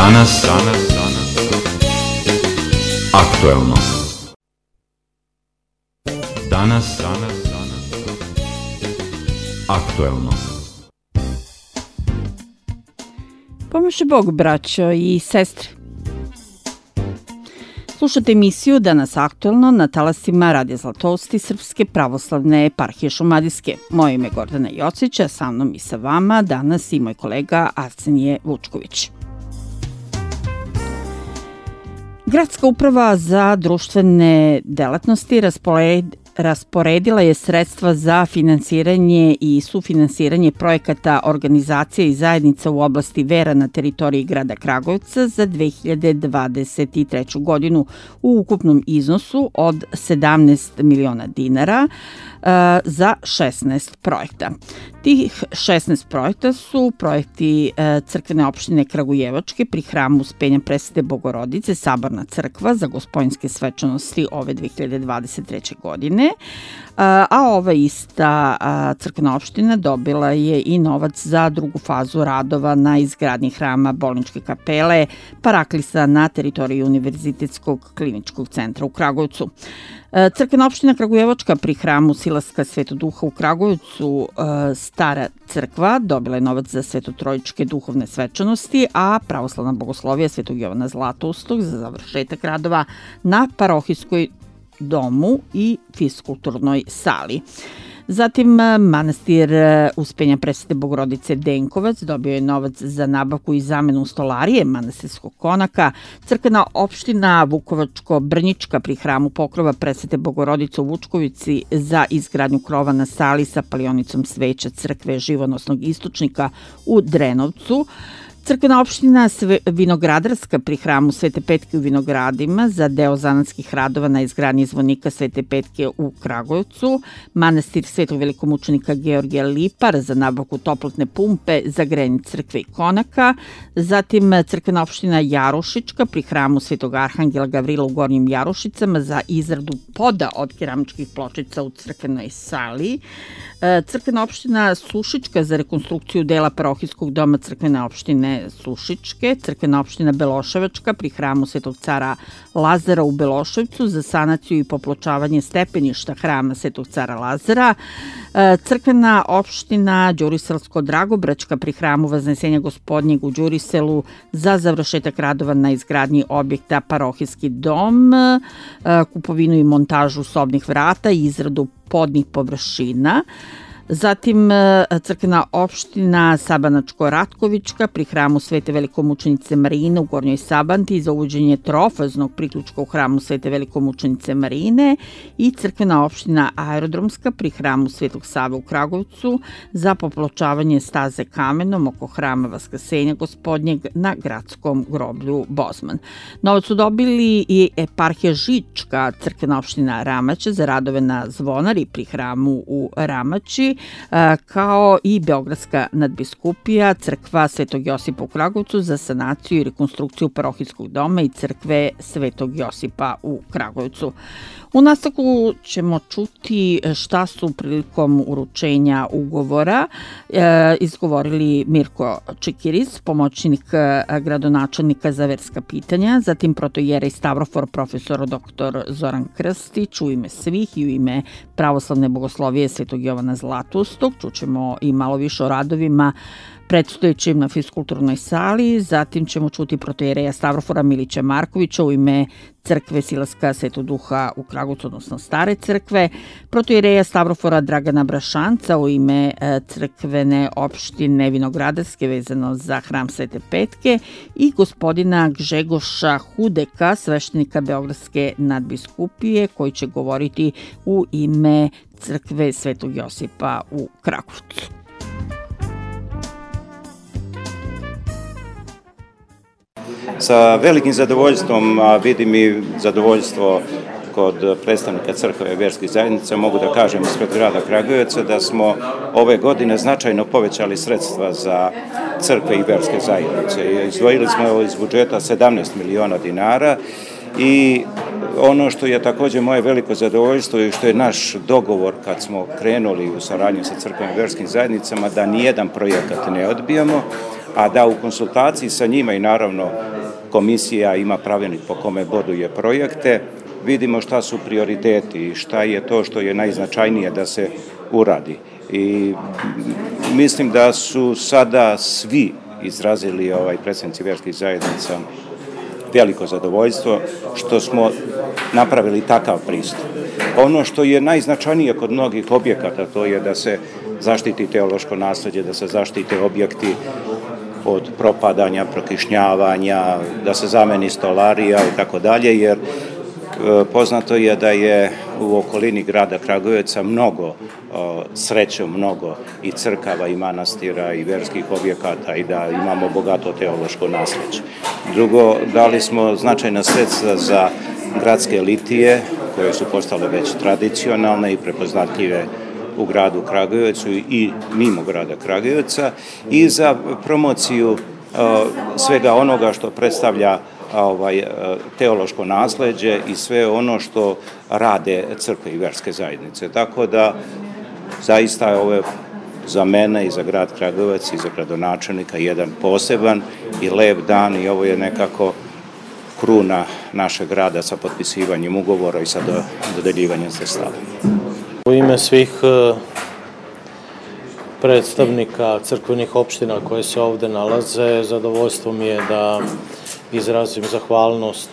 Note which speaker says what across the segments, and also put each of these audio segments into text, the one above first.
Speaker 1: Danas aktuelno. Danas aktuelno.
Speaker 2: Pomože Bog, braćo i sestre. Slušate emisiju Danas aktuelno na talasima Radija Zlatosti Srpske pravoslavne eparhije Šumadijske. Moje ime je Gordana Jocić, a sa mnom i sa vama danas i moj kolega Arsenije Vučković. Gradska uprava za društvene delatnosti rasporedila je sredstva za finansiranje i sufinansiranje projekata organizacija i zajednica u oblasti vera na teritoriji grada Kragujevca za 2023. godinu u ukupnom iznosu od 17 miliona dinara za 16 projekta. Tih 16 projekta su projekti crkvene opštine Kragujevačke pri hramu Uspenja Presvete Bogorodice, Saborna crkva za Gospodnjske svečanosti ove 2023. godine, a ova ista crkvena opština dobila je i novac za drugu fazu radova na izgradnji hrama Bolničke kapele Paraklisa na teritoriji Univerzitetskog kliničkog centra u Kragujevcu. Crkvena opština Kragujevačka pri hramu Silaska Svetog Duha u Kragujevcu, Stara crkva, dobila je novac za svetotrojičke duhovne svečanosti, a pravoslavna bogoslovija Svetog Jovana Zlatoustog za završetak radova na parohijskoj domu i fiskulturnoj sali. Zatim, manastir Uspenja Presvete Bogorodice Denkovac dobio je novac za nabavku i zamenu stolarije manastirskog konaka. Crkvena opština Vukovačko-Brnjička pri hramu Pokrova Presvete Bogorodice u Vučkovici za izgradnju krova na sali sa palionicom sveća crkve Živonosnog istočnika u Drenovcu. Crkvena opština Vinogradarska pri hramu Svete Petke u Vinogradima za deo zanatskih radova na izgradnji zvonika Svete Petke u Kragujevcu, manastir Svetog velikomučenika Georgija Lipar za nabavku toplotne pumpe za grejanje crkve i konaka, zatim crkvena opština Jarušička pri hramu Svetog Arhangela Gavrila u Gornjim Jarušicama za izradu poda od keramičkih pločica u crkvenoj sali, crkvena opština Sušička za rekonstrukciju dela parohijskog doma crkvene opštine Sušičke, crkvena opština Beloševačka pri hramu Svetog cara Lazara u Beloševcu za sanaciju i popločavanje stepeništa hrama Svetog cara Lazara, crkvena opština Đuriselsko-Dragobraćka pri hramu Vaznesenja Gospodnjeg u Đuriselu za završetak radova na izgradnji objekta parohijski dom, kupovinu i montažu sobnih vrata i izradu podnih površina. Zatim crkvena opština Sabanačko-Ratkovička pri hramu Svete velikomučenice Marine u Gornjoj Sabanti za uvođenje trofaznog priključka u hramu Svete velikomučenice Marine i crkvena opština Aerodromska pri hramu Svetog Save u Kragujevcu za popločavanje staze kamenom oko hrama Vaskrsenja Gospodnjeg na gradskom groblju Bozman. Novac su dobili i eparhija Žička, crkvena opština Ramače za radove na zvonari pri hramu u Ramači, kao i Beogradska nadbiskupija, crkva Svetog Josipa u Kragujevcu za sanaciju i rekonstrukciju parohijskog doma i crkve Svetog Josipa u Kragujevcu. U nastavku ćemo čuti šta su prilikom uručenja ugovora izgovorili Mirko Čekiris, pomoćnik gradonačelnika za verska pitanja, zatim protoijerej Stavrofor profesor dr. Zoran Krstić u ime svih i u ime pravoslavne bogoslovije Svetog Jovana Zlatoustog. Čućemo i malo više o radovima predstojećim na fiskulturnoj sali, zatim ćemo čuti protoijereja Stavrofora Milića Markovića u ime crkve Silaska Svetog Duha u Kragujevcu, odnosno Stare crkve, protoijereja Stavrofora Dragana Brašanca u ime crkvene opštine Vinogradarske vezano za hram Svete Petke i gospodina Gžegoša Hudeka, sveštenika Beogradske nadbiskupije, koji će govoriti u ime crkve Svetog Josipa u Kragujevcu.
Speaker 3: Sa velikim zadovoljstvom, a vidim i zadovoljstvo kod predstavnika crkve i verskih zajednica, mogu da kažem ispred grada Kragujevca da smo ove godine značajno povećali sredstva za crkve i verske zajednice. Izdvojili smo iz budžeta 17 miliona dinara i ono što je također moje veliko zadovoljstvo i što je naš dogovor kad smo krenuli u saradnju sa crkvenim i verskim zajednicama, da nijedan projekat ne odbijamo, a da u konsultaciji sa njima i naravno komisija ima pravilnik po kome boduje projekte, vidimo šta su prioriteti i šta je to što je najznačajnije da se uradi. I mislim da su sada svi izrazili predstavnici vjerskih zajednica veliko zadovoljstvo što smo napravili takav pristup. Ono što je najznačajnije kod mnogih objekata, to je da se zaštiti teološko nasleđe, da se zaštite objekti od propadanja, prokišnjavanja, da se zameni stolarija i tako dalje, jer poznato je da je u okolini grada Kragujevca srećom mnogo i crkava i manastira i verskih objekata i da imamo bogato teološko nasleđe. Drugo, dali smo značajna sredstva za gradske litije koje su postale već tradicionalne i prepoznatljive u gradu Kragujevcu i mimo grada Kragujevca i za promociju svega onoga što predstavlja teološko nasleđe i sve ono što rade crkve i vjerske zajednice. Tako da zaista je ovo za mene i za grad Kragujevac i za gradonačelnika jedan poseban i lep dan i ovo je nekako kruna našeg grada sa potpisivanjem ugovora i sa dodeljivanjem sredstava.
Speaker 4: U ime svih predstavnika crkvenih opština koje se ovde nalaze, zadovoljstvo mi je da izrazim zahvalnost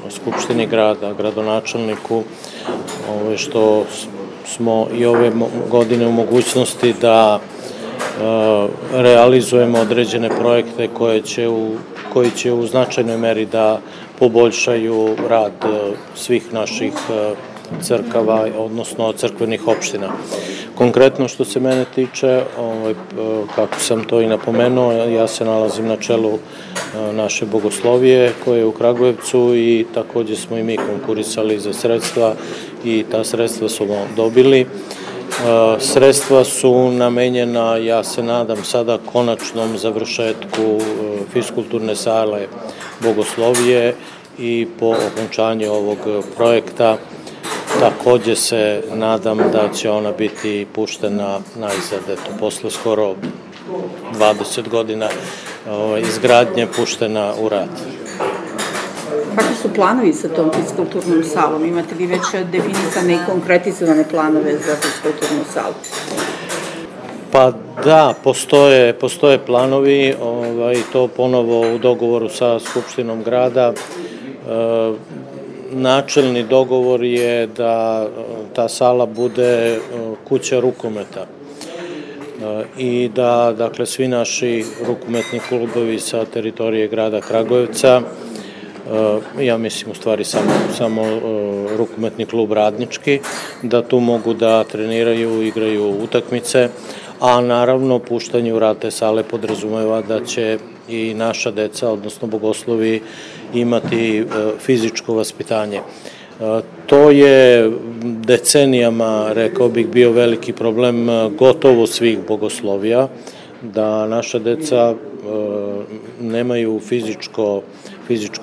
Speaker 4: Skupštini grada, gradonačelniku, što smo i ove godine u mogućnosti da realizujemo određene projekte koji će u značajnoj meri da poboljšaju rad svih naših crkava, odnosno crkvenih opština. Konkretno što se mene tiče, kako sam to i napomenuo, ja se nalazim na čelu naše bogoslovije koje je u Kragujevcu i takođe smo i mi konkurisali za sredstva i ta sredstva smo dobili. Sredstva su namenjena, ja se nadam, sada konačnom završetku fiskulturne sale bogoslovije i po okončanju ovog projekta takođe se nadam da će ona biti puštena na izgled, posle skoro 20 godina izgradnje puštena u rad.
Speaker 2: Kakvi su planovi sa tom fiskulturnom salom? Imate li već definisane i konkretizovane planove za fiskulturnu salu?
Speaker 4: Pa da, postoje planovi, to ponovo u dogovoru sa Skupštinom grada. Načelni dogovor je da ta sala bude kuća rukometa i da, dakle, svi naši rukometni klubovi sa teritorije grada Kragujevca, ja mislim u stvari samo rukometni klub Radnički, da tu mogu da treniraju, igraju utakmice, a naravno puštanje u rad te sale podrazumeva da će i naša deca, odnosno bogoslovi, imati fizičko vaspitanje. To je decenijama, rekao bih, bio veliki problem gotovo svih bogoslovija, da naša deca nemaju fizičko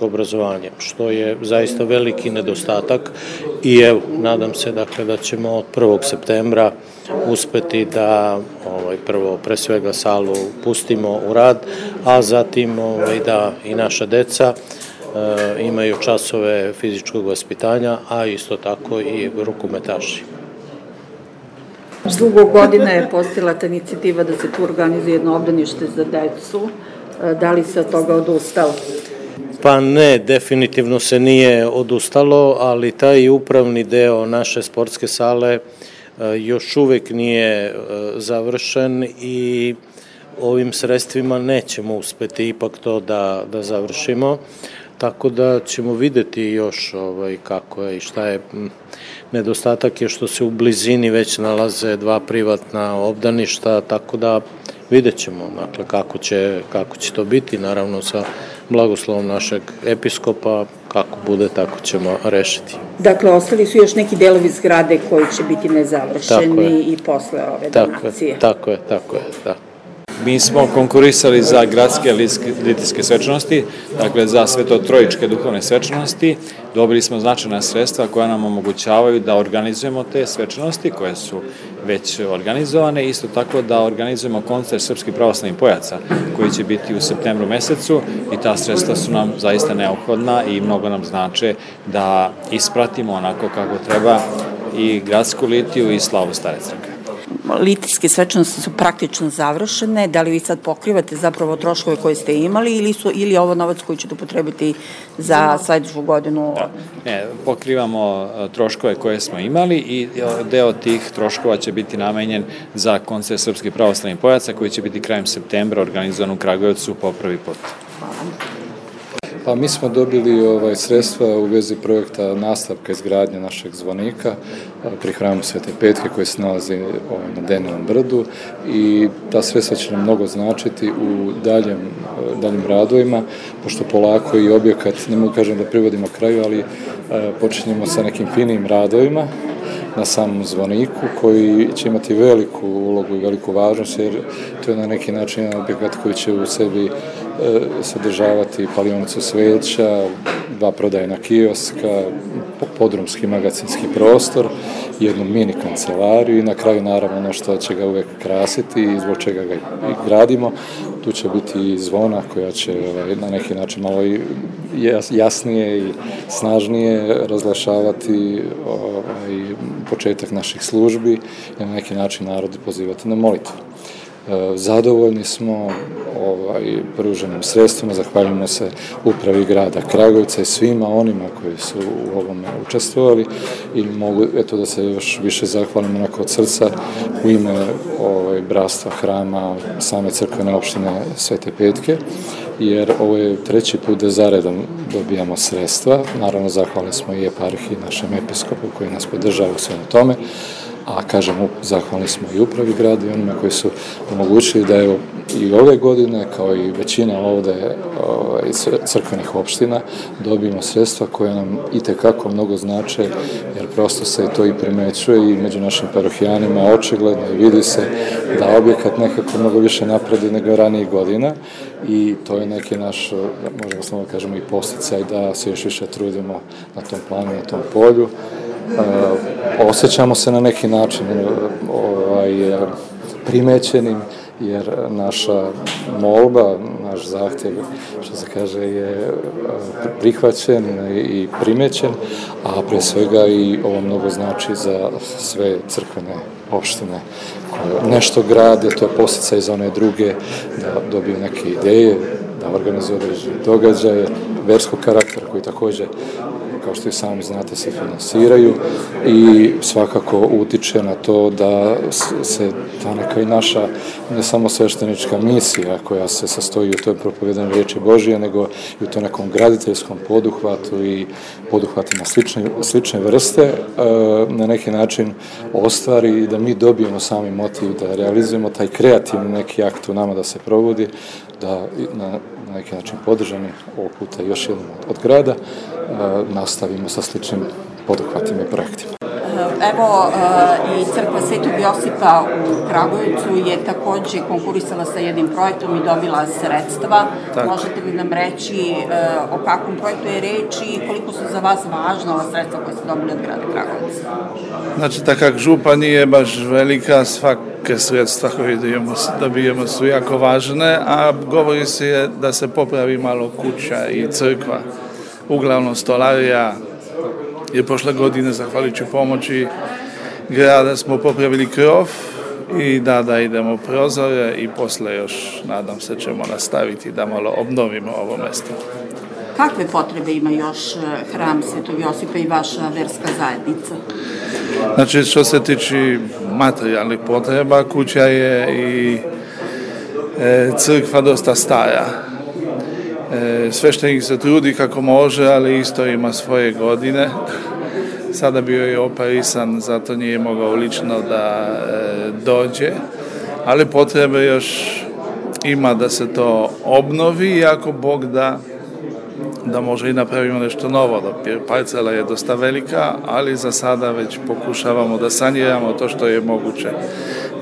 Speaker 4: obrazovanje, što je zaista veliki nedostatak i evo, nadam se dakle da ćemo od 1. septembra uspeti da prvo pre svega salu pustimo u rad, a zatim da i naša deca imaju časove fizičkog vaspitanja, a isto tako i rukometaši.
Speaker 2: Dugo godina je postojala ta inicijativa da se tu organizuje jedno obdanište za decu. Da li se od toga odustalo?
Speaker 4: Pa ne, definitivno se nije odustalo, ali taj upravni deo naše sportske sale još uvek nije završen i ovim sredstvima nećemo uspeti ipak to da završimo, tako da ćemo videti još kako je i šta je. Nedostatak je što se u blizini već nalaze dva privatna obdaništa, tako da vidjet ćemo kako će to biti, naravno sa blagoslovom našeg episkopa, kako bude, tako ćemo rešiti.
Speaker 2: Dakle, ostali su još neki delovi zgrade koji će biti nezavršeni i posle ove donacije.
Speaker 4: Tako je, da.
Speaker 5: Mi smo konkurisali za gradske litijske svečanosti, dakle za svetotrojičke duhovne svečanosti. Dobili smo značajna sredstva koja nam omogućavaju da organizujemo te svečanosti koje su već organizovane, isto tako da organizujemo koncert srpskih pravoslavnih pojaca koji će biti u septembru mesecu i ta sredstva su nam zaista neophodna i mnogo nam znače da ispratimo onako kako treba i gradsku litiju i slavu Stare crkve.
Speaker 2: Litijske svečanosti su praktično završene. Da li vi sad pokrivate zapravo troškove koje ste imali ili je ovo novac koji ćete upotrebiti za sledeću godinu?
Speaker 5: Da. Ne, pokrivamo troškove koje smo imali i deo tih troškova će biti namenjen za koncert srpskih pravoslavnih pojaca koji će biti krajem septembra organizovan u Kragujevcu po prvi put.
Speaker 6: Pa mi smo dobili sredstva u vezi projekta nastavka izgradnje našeg zvonika pri hramu Svete Petke koji se nalazi na Denilovom brdu i ta sredstva će nam mnogo značiti u daljim radovima, pošto polako i objekat, ne mogu kažem da privodimo kraju, ali počinjemo sa nekim finim radovima na samom zvoniku koji će imati veliku ulogu i veliku važnost jer to je na neki način jedan objekat koji će u sebi sadržavati palionicu sveća, 2 prodajna kioska, podrumski magacinski prostor, jednu mini kancelariju i na kraju naravno ono što će ga uvek krasiti i zbog čega ga i gradimo. Tu će biti i zvona koja će na neki način malo i jasnije i snažnije razglašavati početak naših službi i na neki način narod pozivati na molitvu. Zadovoljni smo pruženim sredstvima, zahvaljujemo se upravi grada Kragujevca i svima onima koji su u ovome učestvovali i mogu da se još više zahvalim onako od srca u ime bratstva hrama same crkvene opštine Svete Petke, jer ovo je 3. put da zaredom dobijamo sredstva. Naravno, zahvalni smo i eparhiji, našem episkopu koji nas podržava u svemu tome, a kažem, zahvalni smo i upravi grada i onima koji su omogućili da evo i ove godine, kao i većina ovde iz crkvenih opština, dobijemo sredstva koje nam itekako mnogo znače, jer prosto se to i primećuje i među našim parohijanima očigledno i vidi se da objekat nekako mnogo više napredi nego ranijih godina i to je neki naš, možemo slobodno kažemo, i posticaj da se još više trudimo na tom planu, na tom polju. Osjećamo se na neki način primećenim, jer naša molba, naš zahtjev, što se kaže, je prihvaćen i primećen, a pre svega i ovo mnogo znači za sve crkvene opštine koje nešto grade, to je posticaj za one druge da dobiju neke ideje, da organizuju određene događaje, verskog karaktera koji takođe, kao što i sami znate, se finansiraju i svakako utiče na to da se ta neka i naša, ne samo sveštenička misija koja se sastoji u toj propovedanju riječi Božije, nego i u tom nekom graditeljskom poduhvatu i poduhvatima slične vrste, na neki način ostvari i da mi dobijemo sami motiv da realizujemo taj kreativni neki akt u nama da se provodi, da na neki način podržani ovog puta još jednom od grada, nastavimo sa sličnim poduhvatima i projektima.
Speaker 2: Evo i crkva Svetog Josipa u Kragujevcu je takođe konkurisala sa jednim projektom i dobila sredstva. Tako. Možete li nam reći o kakvom projektu je reč i koliko su za vas važna ova sredstva koje ste dobili od grada Kragujevca?
Speaker 7: Znači, tak jak župa nije baš velika, svake sredstva koje dobijemo su jako važne, a govori se da se popravi malo kuća i crkva. Uglavnom stolarija je prošle godine, zahvaljujući pomoći grada, smo popravili krov i da idemo prozore i posle još, nadam se, ćemo nastaviti da malo obnovimo ovo mesto.
Speaker 2: Kakve potrebe ima još hram Svetog Josipa i vaša verska zajednica?
Speaker 7: Znači, što se tiče materijalnih potreba, kuća je i crkva dosta stara. Sveštenik se trudi kako može, ali isto ima svoje godine. Sada bio je operisan, zato nije mogao lično da dođe, ali potrebe još ima da se to obnovi i ako Bog da, da možda i napravimo nešto novo. Parcela je dosta velika, ali za sada već pokušavamo da saniramo to što je moguće,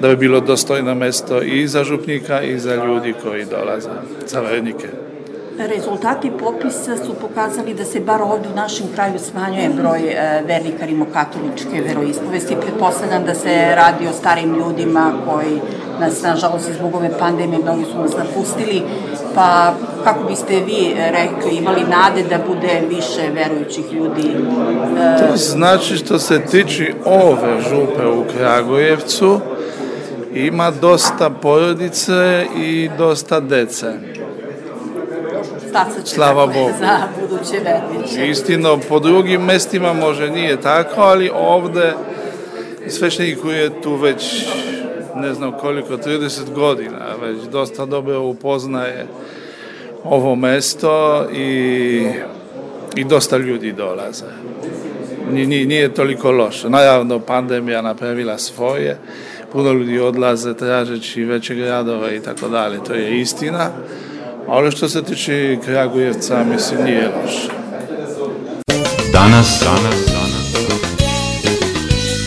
Speaker 7: da bi bilo dostojno mesto i za župnika i za ljudi koji dolaze, za vernike.
Speaker 2: Rezultati popisa su pokazali da se bar ovdje u našem kraju smanjuje broj vernika rimokatoličke veroispovesti. Pretpostavljam da se radi o starim ljudima koji nas, nažalost, zbog ove pandemije, mnogi su nas napustili. Pa kako biste vi rekli, imali nade da bude više verujućih ljudi?
Speaker 7: To znači što se tiče ove župe u Kragujevcu, ima dosta porodice i dosta dece. Slava Bogu.
Speaker 2: Za buduće verniče.
Speaker 7: Istino, po drugim mestima može nije tako, ali ovde sveštenik koji je tu već ne znam koliko, 30 godina, već dosta dobro upoznaje ovo mesto i dosta ljudi dolaze. Nije toliko loše. Naravno, pandemija napravila svoje, puno ljudi odlaze tražeći veće gradove i tako dalje, to je istina. Ali što se tiče Kragujevca, mislim, nije loše.
Speaker 1: Danas,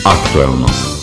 Speaker 1: aktuelno.